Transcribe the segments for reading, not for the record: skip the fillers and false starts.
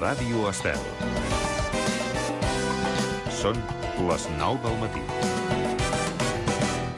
Ràdio Estel. Són les 9 del matí.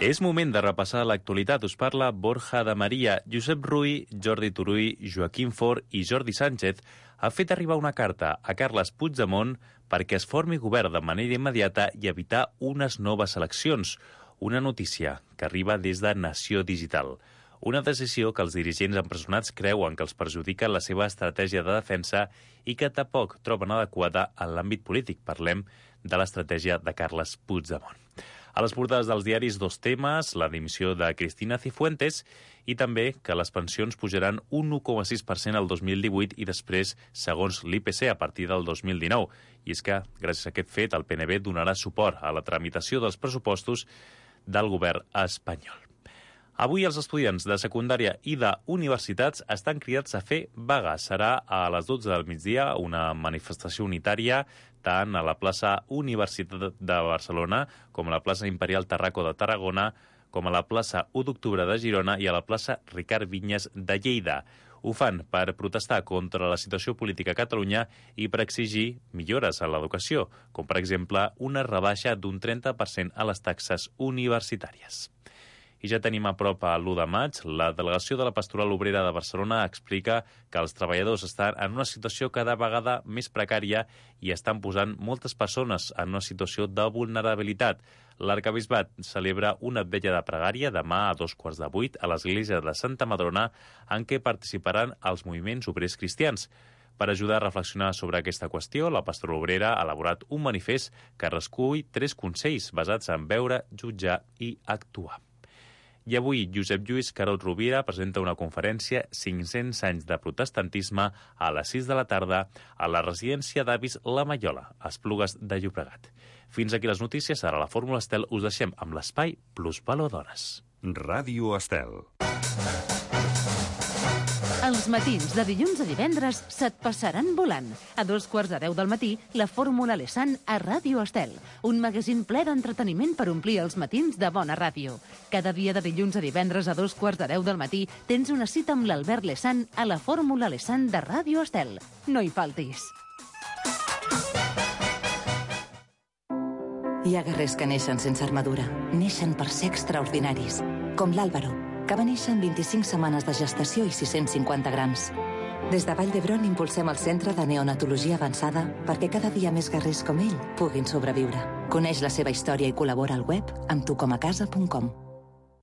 És moment de repassar l'actualitat. Us parla Borja de Maria. Josep Rull, Jordi Turull, Joaquim Forn i Jordi Sánchez ha fet arribar una carta a Carles Puigdemont perquè es formi govern de manera immediata i evitar unes noves eleccions. Una notícia que arriba des de Nació Digital. Una decisió que els dirigents empresonats creuen que els perjudica la seva estratègia de defensa i que tampoc troben adequada en l'àmbit polític. Parlem de l'estratègia de Carles Puigdemont. A les portades dels diaris, dos temes, la dimissió de Cristina Cifuentes i també que les pensions pujaran un 1,6% al 2018 i després, segons l'IPC, a partir del 2019. I és que, gràcies a aquest fet, el PNB donarà suport a la tramitació dels pressupostos del govern espanyol. Avui els estudiants de secundària i d'universitats estan cridats a fer vaga. Serà a les 12 del migdia una manifestació unitària tant a la plaça Universitat de Barcelona com a la plaça Imperial Tarraco de Tarragona, com a la plaça 1 d'Octubre de Girona i a la plaça Ricard Vinyes de Lleida. Ho fan per protestar contra la situació política a Catalunya i per exigir millores a l'educació, com per exemple una rebaixa d'un 30% a les taxes universitàries. I ja tenim a prop a l'1 de maig. La delegació de la Pastoral Obrera de Barcelona explica que els treballadors estan en una situació cada vegada més precària i estan posant moltes persones en una situació de vulnerabilitat. L'Arquebisbat celebra una vetlla de pregària demà a 7:15 a l'església de Santa Madrona en què participaran els moviments obrers cristians. Per ajudar a reflexionar sobre aquesta qüestió, la Pastoral Obrera ha elaborat un manifest que recull 3 consells basats en veure, jutjar i actuar. I avui Josep Lluís Carot Rovira presenta una conferència 500 anys de protestantisme a les 6 de la tarda a la residència d'avis La Mallola, a Esplugues de Llobregat. Fins aquí les notícies. Ara a la Fórmula Estel us deixem amb l'espai Plusvalor Dones. Ràdio Estel. Els matins de dilluns a divendres se't passaran volant. A 9:15 del matí, la Fórmula Lesan a Ràdio Estel. Un magazín ple d'entreteniment per omplir els matins de bona ràdio. Cada dia de dilluns a divendres a 9:15 del matí tens una cita amb l'Albert Lesan a la Fórmula Lesan de Ràdio Estel. No hi faltis. Hi ha guerrers que neixen sense armadura. Neixen per ser extraordinaris. Com l'Àlvaro, que va néixer en 25 setmanes de gestació i 650 grams. Des de Vall d'Hebron impulsem el Centre de Neonatologia Avançada perquè cada dia més guerrers com ell puguin sobreviure. Coneix la seva història i col·labora al web amb tucomacasa.com.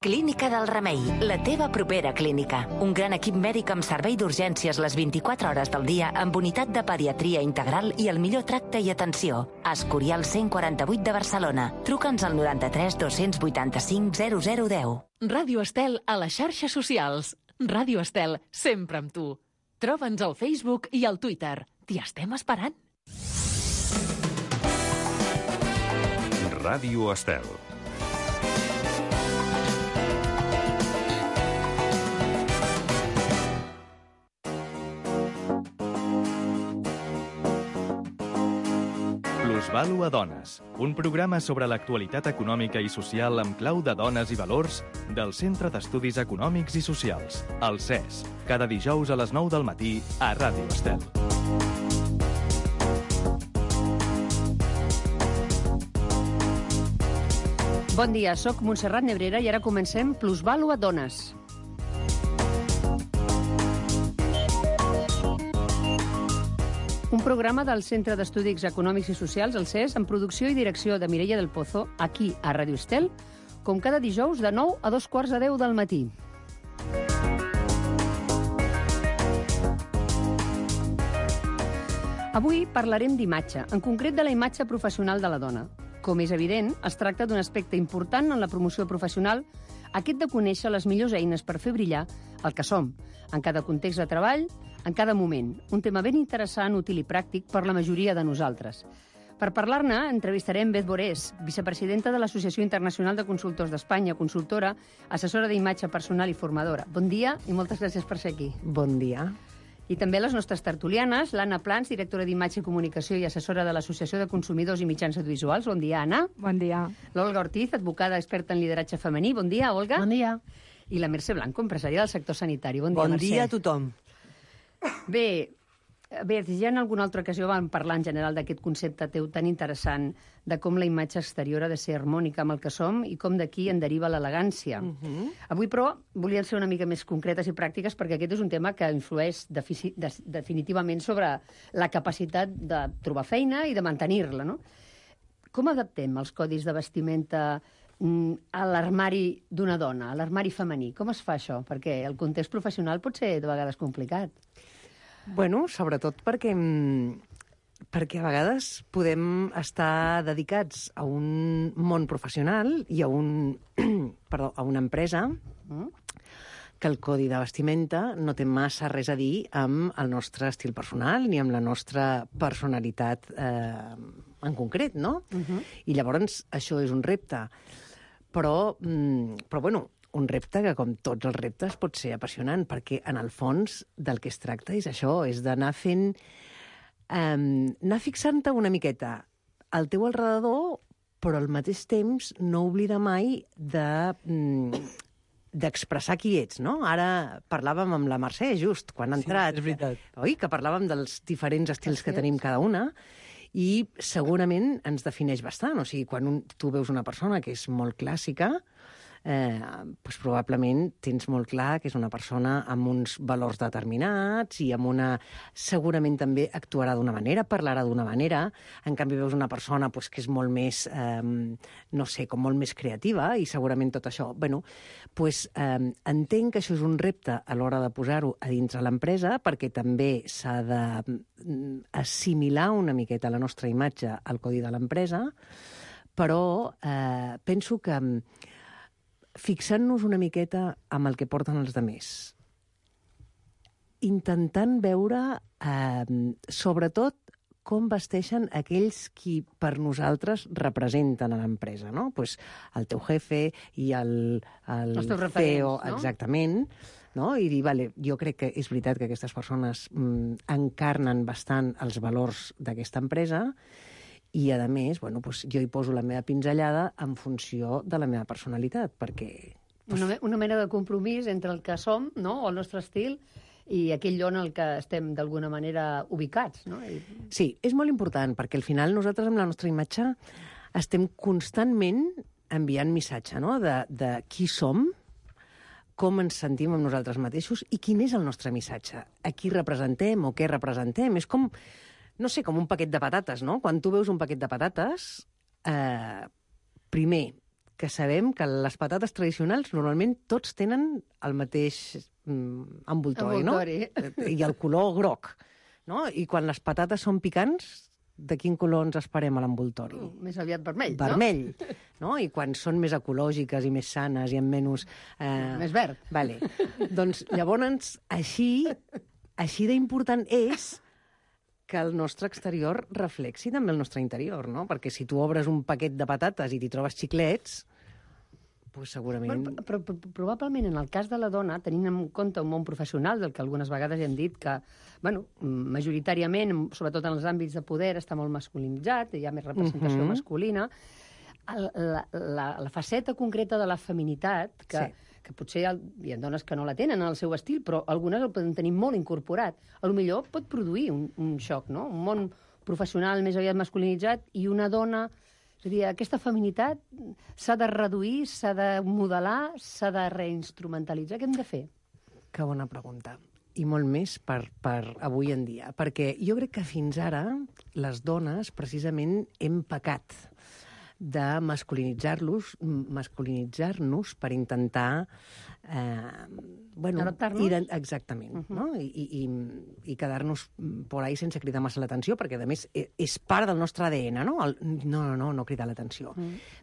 Clínica del Remei, la teva propera clínica. Un gran equip mèdic amb servei d'urgències les 24 hores del dia amb unitat de pediatria integral i el millor tracte i atenció. Escorial 148 de Barcelona. Truca'ns al 93 285 0010. Ràdio Estel a les xarxes socials. Ràdio Estel, sempre amb tu. Troba'ns al Facebook i al Twitter. T'hi estem esperant. Ràdio Estel. Plusvalor a Dones, un programa sobre l'actualitat econòmica i social amb clau de dones i valors del Centre d'Estudis Econòmics i Socials, el CES, cada dijous a les 9 del matí a Ràdio Estel. Bon dia, soc Montserrat Nebrera i ara comencem Plusvalor a Dones. Un programa del Centre d'Estudis Econòmics i Socials, el CES, en producció i direcció de Mireia del Pozo, aquí a Ràdio Estel, com cada dijous de 9 a 9:15 del matí. Avui parlarem d'imatge, en concret de la imatge professional de la dona. Com és evident, es tracta d'un aspecte important en la promoció professional, aquest de conèixer les millors eines per fer brillar el que som, en cada context de treball, en cada moment. Un tema ben interessant, útil i pràctic per la majoria de nosaltres. Per parlar-ne, entrevistarem Beth Borés, vicepresidenta de l'Associació Internacional de Consultors d'Espanya, consultora, assessora d'imatge personal i formadora. Bon dia i moltes gràcies per ser aquí. Bon dia. I també les nostres tertulianes, l'Anna Plans, directora d'Imatge i Comunicació i assessora de l'Associació de Consumidors i Mitjans Audiovisuals. Bon dia, Anna. Bon dia. L'Olga Ortiz, advocada experta en lideratge femení. Bon dia, Olga. Bon dia. I la Mercè Blanco, empresària del sector sanitari. Bon dia, Bon Mercè. dia a tothom. Bé, Bé, ja en alguna altra ocasió vam parlar en general d'aquest concepte teu tan interessant de com la imatge exterior ha de ser harmònica amb el que som i com d'aquí en deriva l'elegància. Avui, però, volien ser una mica més concretes i pràctiques perquè aquest és un tema que influeix definitivament sobre la capacitat de trobar feina i de mantenir-la, no? Com adaptem els codis de vestimenta a l'armari d'una dona, a l'armari femení? Com es fa això? Perquè el context professional pot ser de vegades complicat. Bueno, sobretot perquè a vegades podem estar dedicats a un món professional i a a una empresa que el codi de vestimenta no té massa res a dir amb el nostre estil personal ni amb la nostra personalitat en concret, no? I llavors això és un repte. Però bueno, un repte que, com tots els reptes, pot ser apassionant, perquè, en el fons, del que es tracta és això, és d'anar fent... anar fixant-te una miqueta al teu alrededor, però al mateix temps no oblidar mai d'expressar qui ets, no? Ara parlàvem amb la Mercè, just, quan ha entrat. Sí, és veritat. Oi? Que parlàvem dels diferents estils que tenim cada una, i segurament ens defineix bastant. O sigui, quan tu veus una persona que és molt clàssica, doncs probablement tens molt clar que és una persona amb uns valors determinats i amb una... Segurament també actuarà d'una manera, parlarà d'una manera. En canvi, veus una persona doncs, que és molt més, no sé, com molt més creativa, i segurament tot això... Bueno, doncs entenc que això és un repte a l'hora de posar-ho a dintre l'empresa, perquè també s'ha d'assimilar una miqueta la nostra imatge al codi de l'empresa, però penso que fixant-nos una miqueta amb el que porten els altres, intentant veure, sobretot, com vesteixen aquells qui per nosaltres representen a l'empresa, no? Pues el teu jefe i el CEO, no? Exactament, no? I dir, vale, jo crec que és veritat que aquestes persones encarnen bastant els valors d'aquesta empresa, i, a més, bueno, doncs jo hi poso la meva pinzellada en funció de la meva personalitat, perquè... Doncs... Una mena de compromís entre el que som, no?, o el nostre estil, i aquell lloc en el que estem, d'alguna manera, ubicats, no? Sí, és molt important, perquè al final nosaltres, amb la nostra imatge, estem constantment enviant missatge, no?, de qui som, com ens sentim amb nosaltres mateixos i quin és el nostre missatge, a qui representem o què representem. És com... no sé, com un paquet de patates, no? Quan tu veus un paquet de patates, primer, que sabem que les patates tradicionals normalment tots tenen el mateix envoltori, no? I el color groc, no? I quan les patates són picants, de quin color ens esperem a l'envoltori? Més aviat vermell, no? Vermell, no? I quan són més ecològiques i més sanes i amb menys... Més verd. Vale. Doncs llavors, així d'important és que el nostre exterior reflexi també el nostre interior, no? Perquè si tu obres un paquet de patates i t'hi trobes xiclets, doncs segurament... Però probablement en el cas de la dona, tenint en compte un món professional, del que algunes vegades hem dit que, bueno, majoritàriament, sobretot en els àmbits de poder, està molt masculinitzat, hi ha més representació masculina, la faceta concreta de la feminitat, que potser hi ha dones que no la tenen en el seu estil, però algunes el poden tenir molt incorporat. Potser pot produir un xoc, no? Un món professional més aviat masculinitzat i una dona... És a dir, aquesta feminitat s'ha de reduir, s'ha de modelar, s'ha de reinstrumentalitzar. Què hem de fer? Que bona pregunta. I molt més per avui en dia. Perquè jo crec que fins ara les dones precisament hem pecat de masculinitzar-nos per intentar adaptar-nos. Exactament, no? I quedar-nos por ahí sense cridar massa l'atenció, perquè, a més, és part del nostre ADN, no? No cridar l'atenció.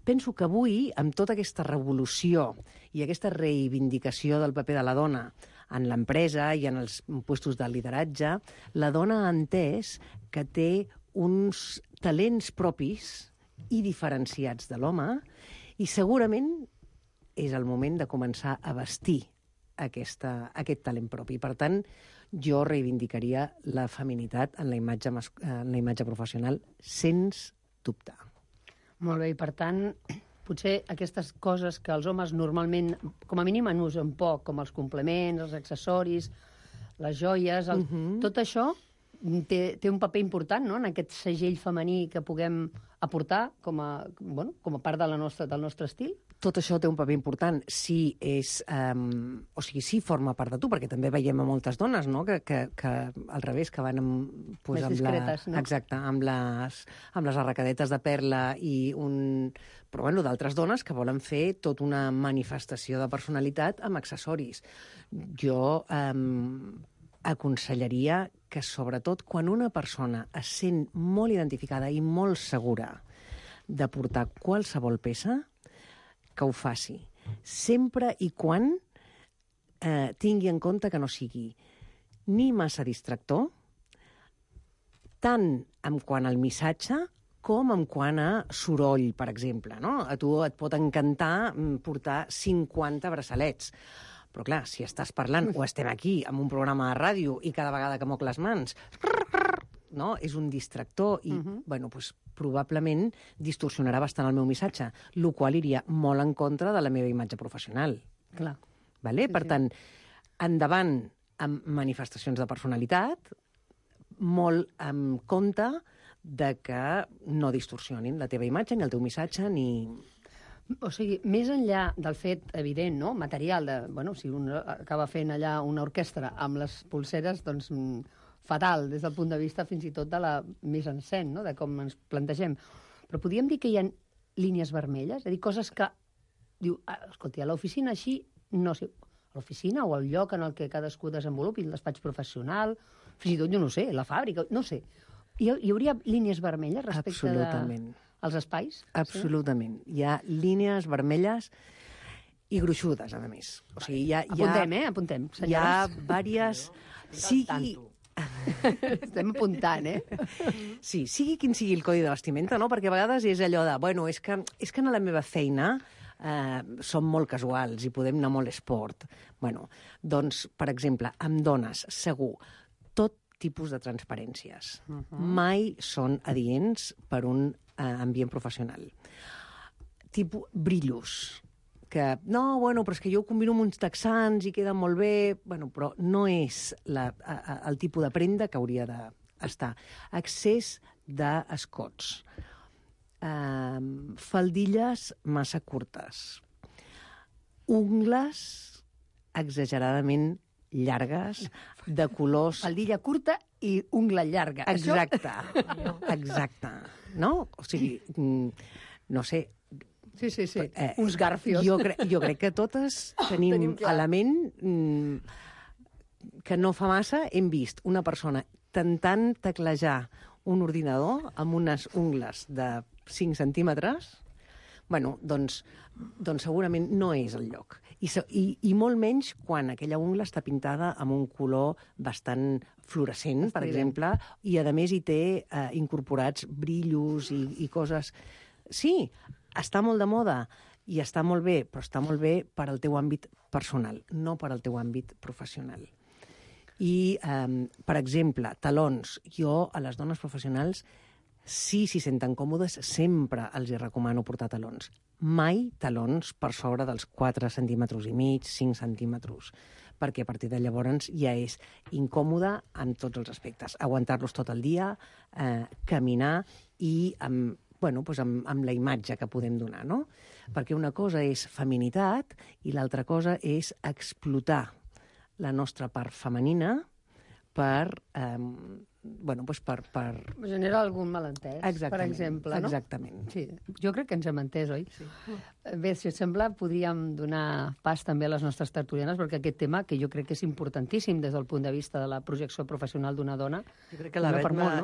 Penso que avui, amb tota aquesta revolució i aquesta reivindicació del paper de la dona en l'empresa i en els puestos de lideratge, la dona ha entès que té uns talents propis i diferenciats de l'home, i segurament és el moment de començar a vestir aquest talent propi. Per tant, jo reivindicaria la feminitat en la imatge professional, sens dubte. Molt bé, i per tant, potser aquestes coses que els homes normalment, com a mínim, en usen poc, com els complements, els accessoris, les joies, tot això té un paper important, no?, en aquest segell femení que puguem aportar com a part del nostre estil? Tot això té un paper important si si forma part de tu, perquè també veiem a moltes dones, no?, que al revés, que van més discretes, no? Exacte, amb les arracadetes de perla però d'altres dones que volen fer tota una manifestació de personalitat amb accessoris. Jo aconsellaria que, sobretot, quan una persona es sent molt identificada i molt segura de portar qualsevol peça, que ho faci. Sempre i quan tingui en compte que no sigui ni massa distractor, tant en quant al missatge com en quant a soroll, per exemple, no? A tu et pot encantar portar 50 braçalets, però clar, si estàs parlant o estem aquí amb un programa de ràdio i cada vegada que moc les mans, no? És un distractor i, probablement distorsionarà bastant el meu missatge, el qual iria molt en contra de la meva imatge professional. Clar. Vale? Per tant, endavant amb manifestacions de personalitat, molt en compte de que no distorsionin la teva imatge, ni el teu missatge, ni... O sigui, més enllà del fet evident, no?, material, si un acaba fent allà una orquestra amb les pulseres, doncs fatal, des del punt de vista fins i tot de la mise en scène, no?, de com ens plantegem. Però podríem dir que hi ha línies vermelles? És a dir, coses que diu, escolti, a l'oficina així, no sé, a l'oficina o al lloc en el que cadascú desenvolupi, el despatx professional, fins i tot, jo no sé, la fàbrica, no sé. Hi hauria línies vermelles respecte als espais? Absolutament. Sí? Hi ha línies vermelles i gruixudes, a més. O sigui, apuntem, senyors. Hi ha diverses... Estem apuntant, Sí, sigui quin sigui el codi de vestimenta, no? Perquè a vegades és allò de, és que a la meva feina som molt casuals i podem anar molt esport. Doncs, per exemple, amb dones, segur, tot tipus de transparències. Mai són adients per un ambient professional. Tipus brillos, que, però és que jo ho combino amb uns texans i queda molt bé, però no és el tipus de prenda que hauria d'estar. Excés d'escots, faldilles massa curtes, ungles exageradament llargues, de colors... Faldilla curta i ungla llarga. Exacte, exacte. No? O sigui, no sé... Sí. Uns garfios. Jo crec que totes tenim element que no fa massa hem vist una persona tentant teclejar un ordinador amb unes ungles de 5 centímetres. Doncs segurament no és el lloc. I molt menys quan aquella ungla està pintada amb un color bastant fluorescent, per exemple, i a més hi té incorporats brillos i coses... Sí, està molt de moda i està molt bé, però està molt bé per al teu àmbit personal, no per al teu àmbit professional. I, per exemple, talons. Jo, a les dones professionals, si s'hi senten còmodes, sempre els hi recomano portar talons. Mai talons per sobre dels 4 centímetres i mig, 5 centímetres, perquè a partir de llavors ja és incòmode en tots els aspectes. Aguantar-los tot el dia, caminar i amb la imatge que podem donar, no? Perquè una cosa és feminitat i l'altra cosa és explotar la nostra part femenina per generar algun malentès, per exemple, no? Exactament. Sí, jo crec que ens hem entès, oi? Sí. Bé, si us sembla, podríem donar pas també a les nostres tertulianes, perquè aquest tema, que jo crec que és importantíssim des del punt de vista de la projecció professional d'una dona... Jo crec que la Bet,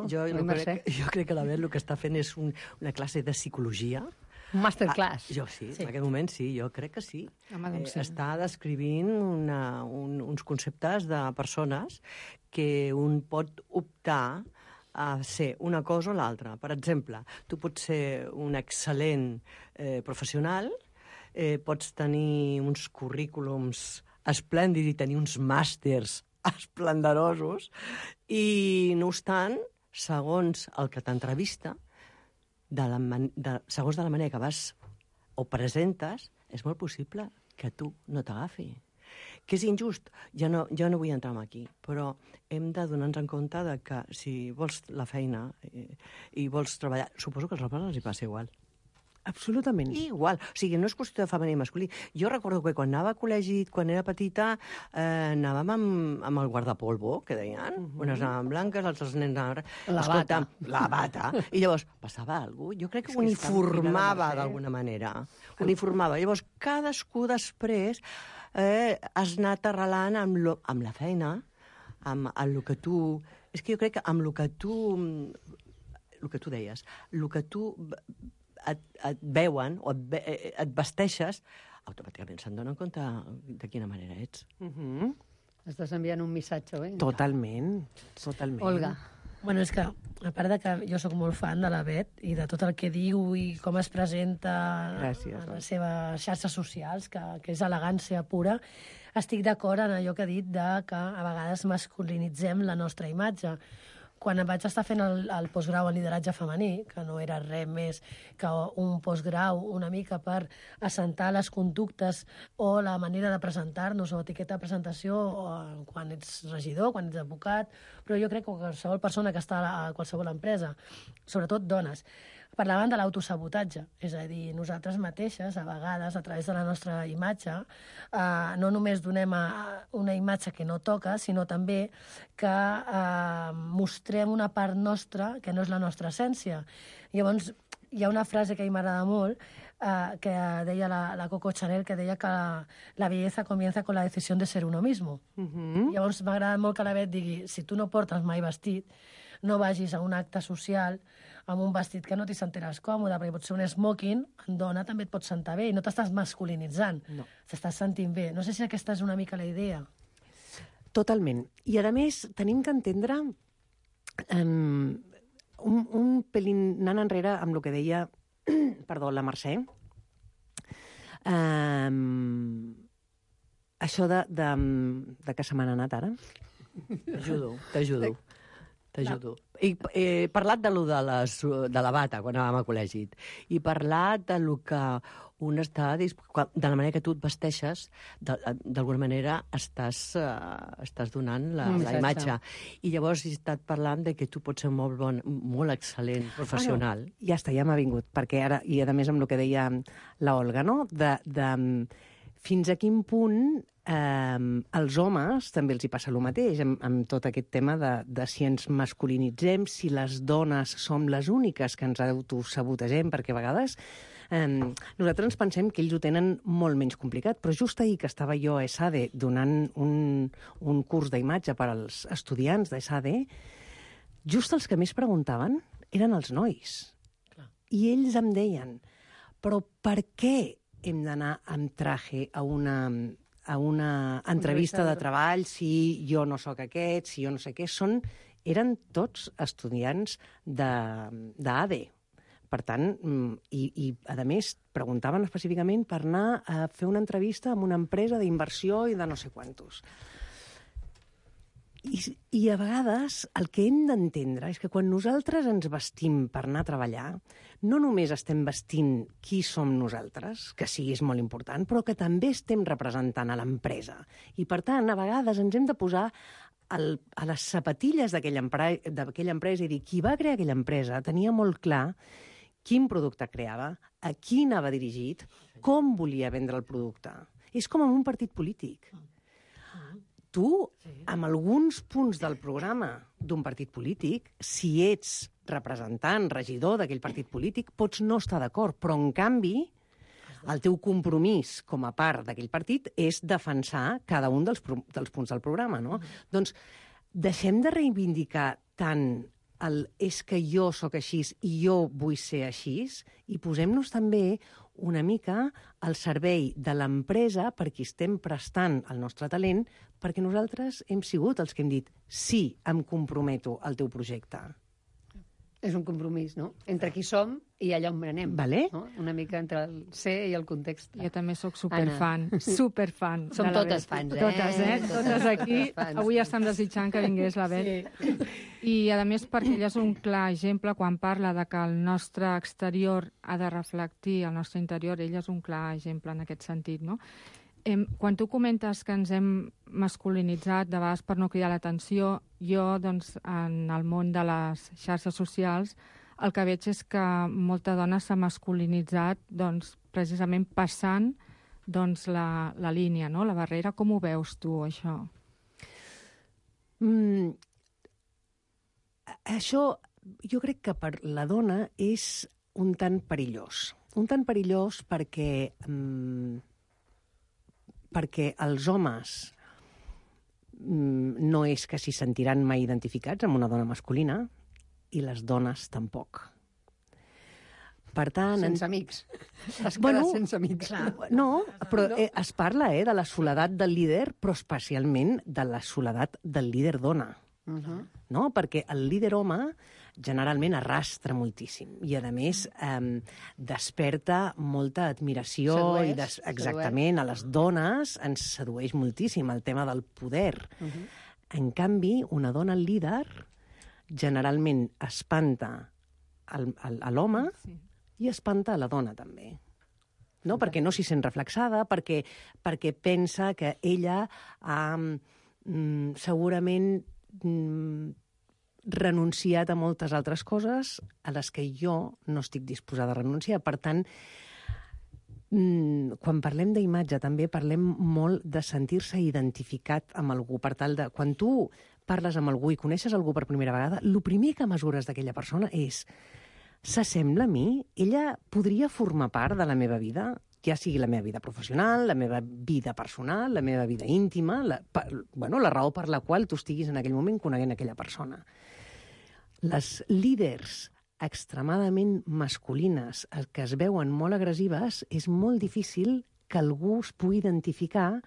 jo crec que la Bet el que està fent és una classe de psicologia. Un masterclass. Jo sí, en aquest moment sí, jo crec que sí. Està descrivint uns conceptes de persones que un pot optar a ser una cosa o l'altra. Per exemple, tu pots ser un excel·lent professional, pots tenir uns currículums esplèndids i tenir uns màsters esplendorosos, i no obstant, segons el que t'entrevista, segons de la manera que vas o presentes, és molt possible que tu no t'agafi, Que és injust, jo no vull entrar aquí, però hem de donar-nos en compte de que si vols la feina i vols treballar, suposo que als homes els hi passa igual. Absolutament. Igual. O sigui, no és qüestió de femení i masculí. Jo recordo que quan anava a col·legi, quan era petita, anàvem amb el guardapolvo, que deien. Unes anaven blanques, altres nens anaven... La bata. I llavors, passava alguna cosa? Jo crec que uniformava d'alguna manera. Uniformava. Llavors, cadascú després has anat arrelant amb la feina, amb el que tu... És que jo crec que amb el que tu deies, el que tu et veuen o et vesteixes, automàticament se'n donen compte de quina manera ets. Estàs enviant un missatge, oi? Totalment. Olga. Bueno, és que, a part de que jo sóc molt fan de la Bet i de tot el que diu i com es presenta a les seves xarxes socials, que és elegància pura, estic d'acord en allò que ha dit de que a vegades masculinitzem la nostra imatge. Quan em vaig estar fent el postgrau en lideratge femení, que no era res més que un postgrau una mica per assentar les conductes o la manera de presentar-nos o etiqueta de presentació quan ets regidor, quan ets advocat, però jo crec que qualsevol persona que està a qualsevol empresa, sobretot dones, parlaven de l'autosabotatge, és a dir, nosaltres mateixes, a vegades, a través de la nostra imatge, no només donem una imatge que no toca, sinó també que mostrem una part nostra que no és la nostra essència. Llavors, hi ha una frase que a mi m'agrada molt, que deia la Coco Chanel, que deia que la belleza comienza con la decisión de ser uno mismo. Llavors, m'agrada molt que la Bet digui, si tu no portes mai vestit, no vagis a un acte social amb un vestit que no t'hi sentiràs còmode, perquè pot ser un smoking, en dona també et pot sentar bé, i no t'estàs masculinitzant, t'estàs sentint bé. No sé si aquesta és una mica la idea. Totalment. I, a més, tenim que entendre un pelín anant enrere amb el que deia la Mercè. Això de que se m'han anat ara. T'ajudo. I he parlat de la bata quan anàvem a col·legi. I parlat de lo que un està... De la manera que tu et vesteixes, d'alguna manera estàs donant la imatge. I llavors he estat parlant de que tu pots ser molt excel·lent professional. Ja està, ja m'ha vingut. Perquè ara, i a més amb el que deia la Olga, no? Fins a quin punt als homes també els hi passa el mateix amb tot aquest tema de si ens masculinitzem, si les dones som les úniques que ens autosabotegem, perquè a vegades nosaltres ens pensem que ells ho tenen molt menys complicat, però just ahir que estava jo a ESADE donant un curs d'imatge per als estudiants d'ESADE, just els que més preguntaven eren els nois. I ells em deien, però per què hem d'anar amb traje a una entrevista de treball si jo no sóc aquest, si jo no sé què. Eren tots estudiants d'ADE. Per tant, i a més, preguntaven específicament per anar a fer una entrevista amb una empresa d'inversió i de no sé quantos. I a vegades el que hem d'entendre és que quan nosaltres ens vestim per anar a treballar, no només estem vestint qui som nosaltres, que sí, és molt important, però que també estem representant a l'empresa. I per tant, a vegades ens hem de posar a les sapatilles d'aquella empresa i dir, qui va crear aquella empresa tenia molt clar quin producte creava, a qui anava dirigit, com volia vendre el producte. És com en un partit polític. Tu, amb alguns punts del programa d'un partit polític, si ets representant, regidor d'aquell partit polític, pots no estar d'acord, però en canvi el teu compromís com a part d'aquell partit és defensar cada un dels punts del programa, no? Doncs deixem de reivindicar tant és que jo sóc així i jo vull ser així, i posem-nos també una mica al servei de l'empresa per qui estem prestant el nostre talent, perquè nosaltres hem sigut els que hem dit sí, em comprometo al teu projecte. És un compromís, no? Entre qui som i allà on anem. Vale. No? Una mica entre el ser i el context. Jo també sóc superfan, superfan. Som totes fans, Totes aquí. Avui estem desitjant que vingués la Bet. Sí. I, a més, perquè ella és un clar exemple quan parla de que el nostre exterior ha de reflectir el nostre interior, ella és un clar exemple en aquest sentit, no? Quan tu comentes que ens hem masculinitzat, de vegades per no cridar l'atenció, jo, doncs, en el món de les xarxes socials, el que veig és que molta dona s'ha masculinitzat, doncs, precisament passant doncs, la línia, no? La barrera. Com ho veus tu, això? Això, jo crec que per la dona és un tant perillós. Un tant perillós perquè els homes no és que s'hi sentiran mai identificats amb una dona masculina i les dones tampoc. Per tant... Sense amics. Has quedat sense amics. No, però es parla de la soledat del líder, però especialment de la soledat del líder dona. No? Perquè el líder home generalment arrastra moltíssim i, a més, desperta molta admiració. Exactament, a les dones ens sedueix moltíssim el tema del poder. En canvi, una dona líder generalment espanta a l'home i espanta a la dona, també. No? Perquè no s'hi sent reflexada, perquè pensa que ella ha segurament renunciat a moltes altres coses a les que jo no estic disposada a renunciar. Per tant, quan parlem d'imatge també parlem molt de sentir-se identificat amb algú. Per tal de, quan tu parles amb algú i coneixes algú per primera vegada, el primer que mesures d'aquella persona és: s'assembla a mi? Ella podria formar part de la meva vida? Ja sigui la meva vida professional, la meva vida personal, la meva vida íntima, la raó per la qual tu estiguis en aquell moment coneguent aquella persona. Les líders extremadament masculines que es veuen molt agressives, és molt difícil que algú es pugui identificar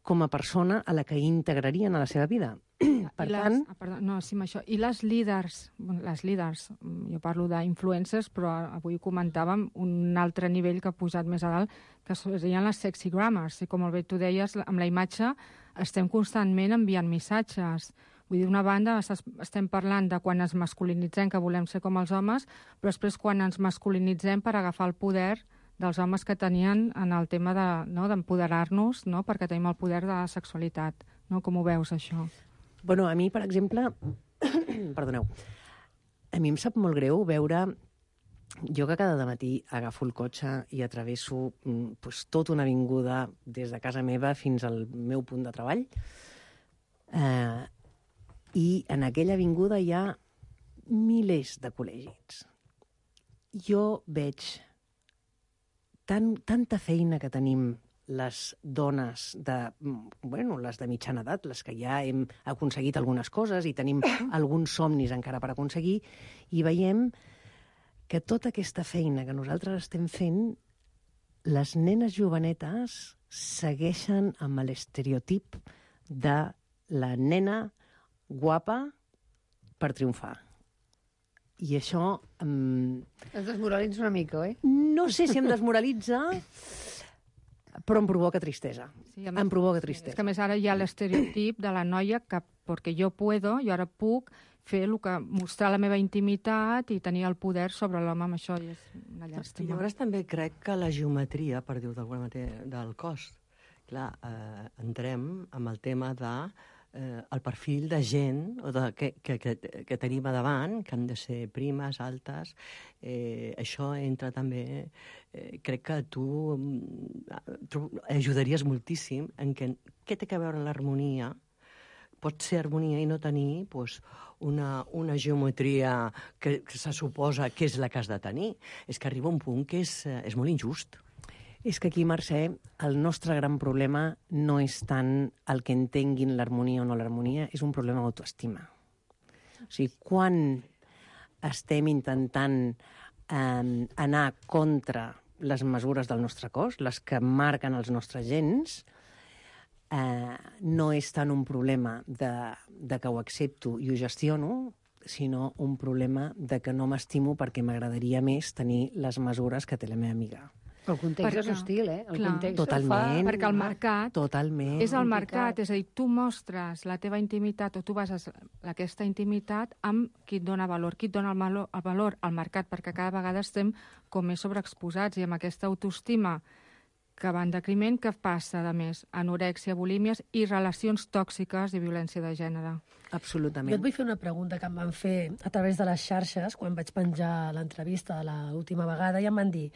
com a persona a la que integrarien a la seva vida. Per tant... I les líders, jo parlo d'influencers, però avui comentàvem un altre nivell que ha pujat més a dalt, que serien les sexy grammars. I com molt bé tu deies, amb la imatge estem constantment enviant missatges. Vull dir, d'una banda estem parlant de quan ens masculinitzem, que volem ser com els homes, però després quan ens masculinitzem per agafar el poder dels homes que tenien en el tema d'empoderar-nos, perquè tenim el poder de la sexualitat. Com ho veus, això? Bueno, a mi, per exemple, perdoneu, a mi em sap molt greu veure, jo que cada matí agafo el cotxe i atravesso tota una avinguda des de casa meva fins al meu punt de treball, i en aquella avinguda hi ha milers de col·legis. Jo veig tanta feina que tenim les dones les de mitjana edat, les que ja hem aconseguit algunes coses i tenim alguns somnis encara per aconseguir, i veiem que tota aquesta feina que nosaltres estem fent, les nenes jovenetes segueixen amb l'estereotip de la nena guapa per triomfar. I això... Es desmoralitza una mica, oi? No sé si em desmoralitza, però em provoca tristesa. Em provoca tristesa. És que, a més, ara hi ha l'estereotip de la noia que, perquè jo ara puc fer mostrar la meva intimitat i tenir el poder sobre l'home, amb això és una llàstima. Llavors també crec que la geometria, per dir-ho d'alguna manera, del cos, clar, entrem amb el tema de el perfil de gent que tenim a davant, que han de ser primes, altes. Això entra també... crec que tu ajudaries moltíssim en què té a veure l'harmonia. Pot ser harmonia i no tenir una geometria que se suposa que és la que has de tenir. És que arriba un punt que és molt injust. És que aquí, Mercè, el nostre gran problema no és tant el que entenguin l'harmonia o no l'harmonia, és un problema d'autoestima. O sigui, quan estem intentant anar contra les mesures del nostre cos, les que marquen els nostres gens, no és tant un problema de que ho accepto i ho gestiono, sinó un problema de que no m'estimo perquè m'agradaria més tenir les mesures que té la meva amiga. El context és hostil, El context totalment. Perquè el mercat totalment. És el mercat, és a dir, tu mostres la teva intimitat o tu bases aquesta intimitat amb qui et dona valor. Qui et dona el valor? Al mercat, perquè cada vegada estem com més sobreexposats i amb aquesta autoestima que va en decriment, que passa, a més, anorèxia, bulímies i relacions tòxiques i violència de gènere. Absolutament. Jo et vull fer una pregunta que em van fer a través de les xarxes quan vaig penjar l'entrevista de l'última vegada i em van dir,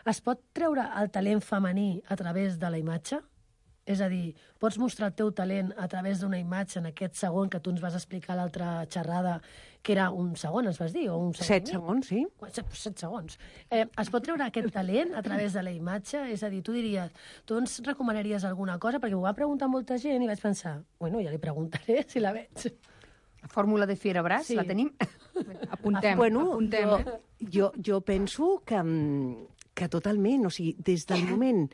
es pot treure el talent femení a través de la imatge? És a dir, pots mostrar el teu talent a través d'una imatge en aquest segon que tu ens vas explicar a l'altra xerrada, que era un segon, ens vas dir? O un segon 7 segons, sí. 7 segons. Es pot treure aquest talent a través de la imatge? És a dir, tu diries, tu ens recomanaries alguna cosa? Perquè m'ho va preguntar molta gent i vaig pensar, bueno, ja li preguntaré si la veig. La fórmula de Fierabras, sí. La tenim? Apuntem. Jo penso que totalment, o sigui, des del moment...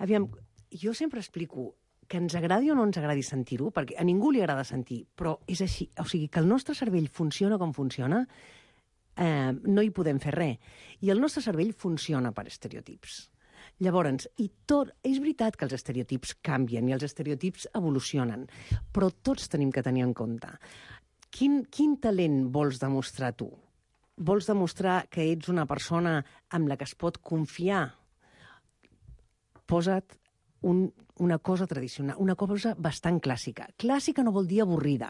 Aviam, jo sempre explico que ens agradi o no ens agradi sentir-ho, perquè a ningú li agrada sentir, però és així. O sigui, que el nostre cervell funciona com funciona, no hi podem fer res. I el nostre cervell funciona per estereotips. Llavors, és veritat que els estereotips canvien i els estereotips evolucionen, però tots tenim que tenir en compte. Quin talent vols demostrar tu? Vols demostrar que ets una persona amb la que es pot confiar? Posa't una cosa tradicional, una cosa bastant clàssica. Clàssica no vol dir avorrida.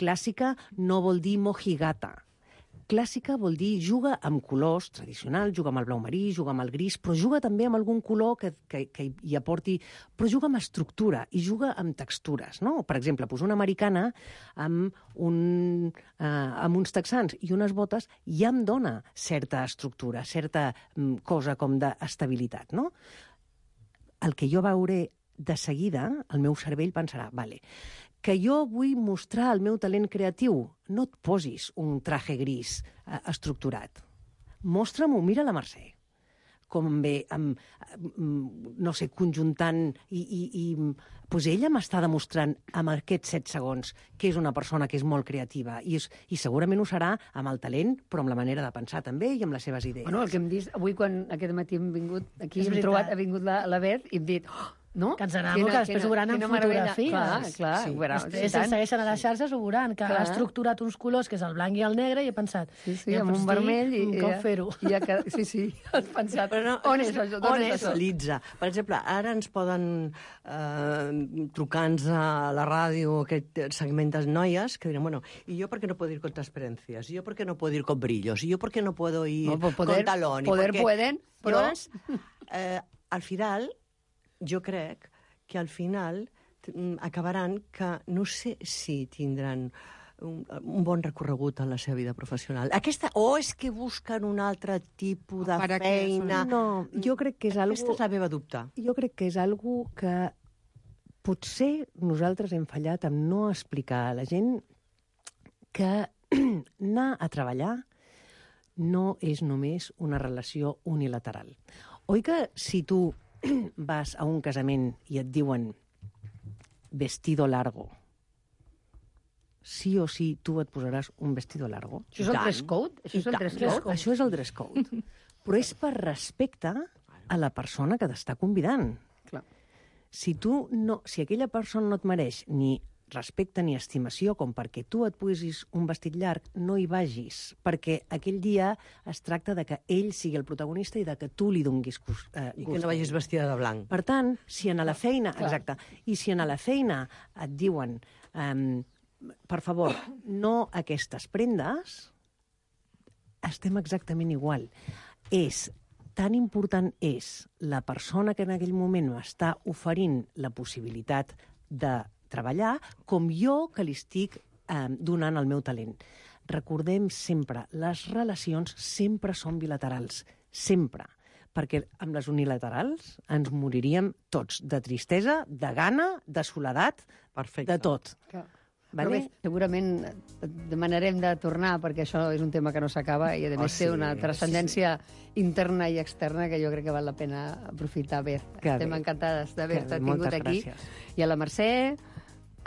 Clàssica no vol dir mojigata. Clàssica vol dir juga amb colors tradicionals, juga amb el blau marí, juga amb el gris, però juga també amb algun color que hi aporti... Però juga amb estructura i juga amb textures, no? Per exemple, una americana amb uns texans i unes botes ja em dona certa estructura, certa cosa com d'estabilitat, no? El que jo veuré de seguida, el meu cervell pensarà, vale, que jo vull mostrar el meu talent creatiu, no et posis un traje gris estructurat. Mostra'm-ho, mira la Mercè, com ve, no sé, conjuntant i pues ella m'està demostrant amb aquests 7 segons que és una persona que és molt creativa i segurament ho serà amb el talent, però amb la manera de pensar també i amb les seves idees. Bueno, el que hem vist avui quan aquest matí hem vingut aquí, ha vingut la Beth i hem dit... No? Que ens anàvem, que després ho veuran en fotografies. Clar. Sí. Després ens segueixen a les xarxes, ho veuran, que ha estructurat uns colors, que és el blanc i el negre, i he pensat... Sí, amb un vermell... Com fer-ho? Sí, has pensat... Però no, on és això? Per exemple, ara ens poden trucar-nos a la ràdio aquest segment de noies que diran, bueno, ¿y yo por qué no puedo ir con transparencias? ¿Y yo por qué no puedo ir con brillos? ¿Y yo por qué no puedo ir con talón? Pueden, però... Al final... Jo crec que al final acabaran que no sé si tindran un bon recorregut en la seva vida professional. O és que busquen un altre tipus de feina... No, jo crec que és algo... Aquesta és la meva dubte. Jo crec que és algo que potser nosaltres hem fallat en no explicar a la gent que anar a treballar no és només una relació unilateral. Oi que si tu vas a un casament i et diuen vestido largo, sí o sí tu et posaràs un vestido largo? Això és el dress code? Això és el dress code. Però és per respecte a la persona que t'està convidant. Clar. Si aquella persona no et mereix ni respecte ni estimació com perquè tu et posis un vestit llarg, no hi vagis, perquè aquell dia es tracta de que ell sigui el protagonista i de que tu li donguis gust. I que no vagis vestida de blanc. Per tant, si a la feina... Exacte. I si a la feina et diuen per favor, no aquestes prendes, estem exactament igual. Tan important és la persona que en aquell moment m'està oferint la possibilitat de treballar com jo que li estic donant el meu talent. Recordem sempre, les relacions sempre són bilaterals, sempre. Perquè amb les unilaterals ens moriríem tots, de tristesa, de gana, de soledat, de tot. Vale? Bé, segurament demanarem de tornar, perquè això és un tema que no s'acaba i a més té una transcendència interna i externa que jo crec que val la pena aprofitar. Bé, estem encantades d'haver-te tingut aquí. I a la Mercè,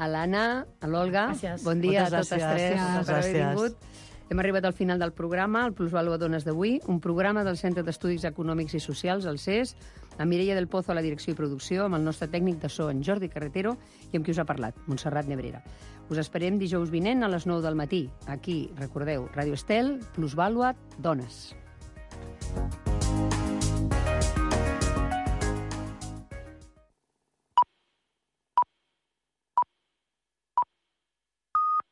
a l'Anna, a l'Olga, bon dia a totes tres per haver vingut. Hem arribat al final del programa, el Plusvalua Dones d'avui, un programa del Centre d'Estudis Econòmics i Socials, el CES, amb Mireia del Pozo a la direcció i producció, amb el nostre tècnic de so, en Jordi Carretero, i amb qui us ha parlat, Montserrat Nebrera. Us esperem dijous vinent a les 9 del matí. Aquí, recordeu, Ràdio Estel, Plusvalua Dones.